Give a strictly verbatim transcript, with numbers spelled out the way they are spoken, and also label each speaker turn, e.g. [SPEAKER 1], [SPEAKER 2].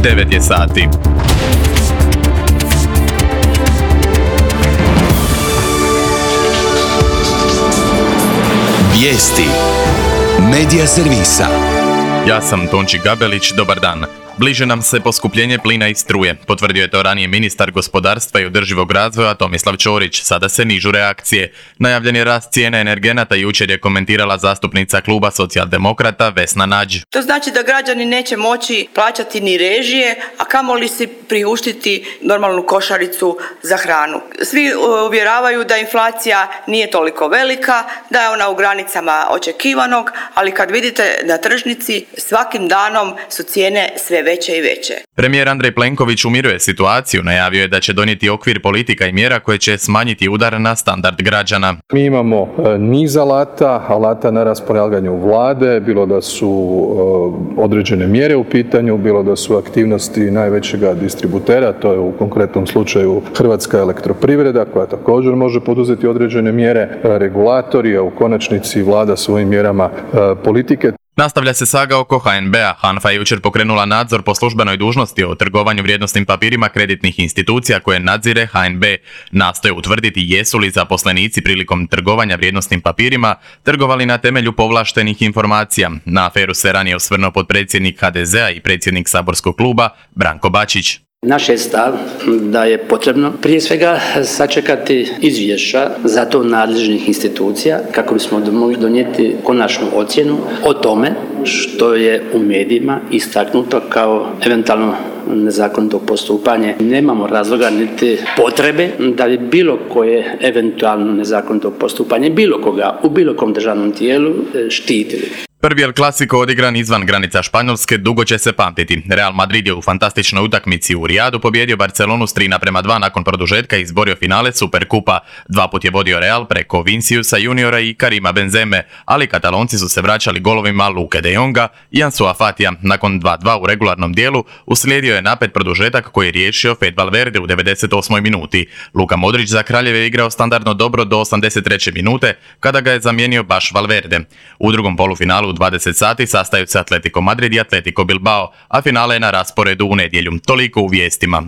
[SPEAKER 1] devet je sati.
[SPEAKER 2] Vijesti Medija servisa.
[SPEAKER 1] Ja sam Tonči Gabelić, dobar dan. Bliže nam se poskupljenje plina i struje, potvrdio je to ranije ministar gospodarstva i održivog razvoja Tomislav Ćorić. Sada se nižu reakcije. Najavljen je rast cijene energenata, jučer je komentirala zastupnica kluba Socijaldemokrata Vesna Nađ.
[SPEAKER 3] To znači da građani neće moći plaćati ni režije, a kamoli si priuštiti normalnu košaricu za hranu. Svi uvjeravaju da inflacija nije toliko velika, da je ona u granicama očekivanog, ali kad vidite na tržnici svakim danom su cijene sve veće i veće.
[SPEAKER 1] Premijer Andrej Plenković umiruje situaciju, najavio je da će donijeti okvir politika i mjera koje će smanjiti udar na standard građana.
[SPEAKER 4] Mi imamo niz alata, alata na raspolaganju vlade, bilo da su određene mjere u pitanju, bilo da su aktivnosti najvećega distributera, to je u konkretnom slučaju Hrvatska elektroprivreda koja također može poduzeti određene mjere, regulatori, a u konačnici vlada svojim mjerama politike.
[SPEAKER 1] Nastavlja se saga oko ha en be-a. HANFA je jučer pokrenula nadzor po službenoj dužnosti o trgovanju vrijednosnim papirima kreditnih institucija koje nadzire ha en be. Nastoje utvrditi jesu li zaposlenici prilikom trgovanja vrijednosnim papirima trgovali na temelju povlaštenih informacija. Na aferu se ranije osvrnuo potpredsjednik ha de zea i predsjednik saborskog kluba Branko Bačić.
[SPEAKER 5] Naš je stav da je potrebno prije svega sačekati izvješća za to nadležnih institucija kako bismo mogli donijeti konačnu ocjenu o tome što je u medijima istaknuto kao eventualno nezakonito postupanje. Nemamo razloga niti potrebe da bi bilo koje eventualno nezakonito postupanje bilo koga u bilo kom državnom tijelu štitili.
[SPEAKER 1] Prvi El Clasico odigran izvan granica Španjolske dugo će se pamtiti. Real Madrid je u fantastičnoj utakmici u Rijadu pobjedio Barcelonu s tri naprema dva nakon produžetka i izborio finale Superkupa. Dva put je vodio Real preko Viniciusa juniora i Karima Benzeme, ali Katalonci su se vraćali golovima Luke de Jonga i Ansua Fatija. Nakon dva dva u regularnom dijelu uslijedio je napet produžetak koji je riješio Fede Valverde u devedeset osmoj minuti. Luka Modrić za Kraljeve je igrao standardno dobro do osamdeset treće minute kada ga je zamijenio baš Valverde. U drugom polufinalu u dvadeset sati sastaju se Atletico Madrid i Atletico Bilbao, a finale je na rasporedu u nedjelju. Toliko u vijestima.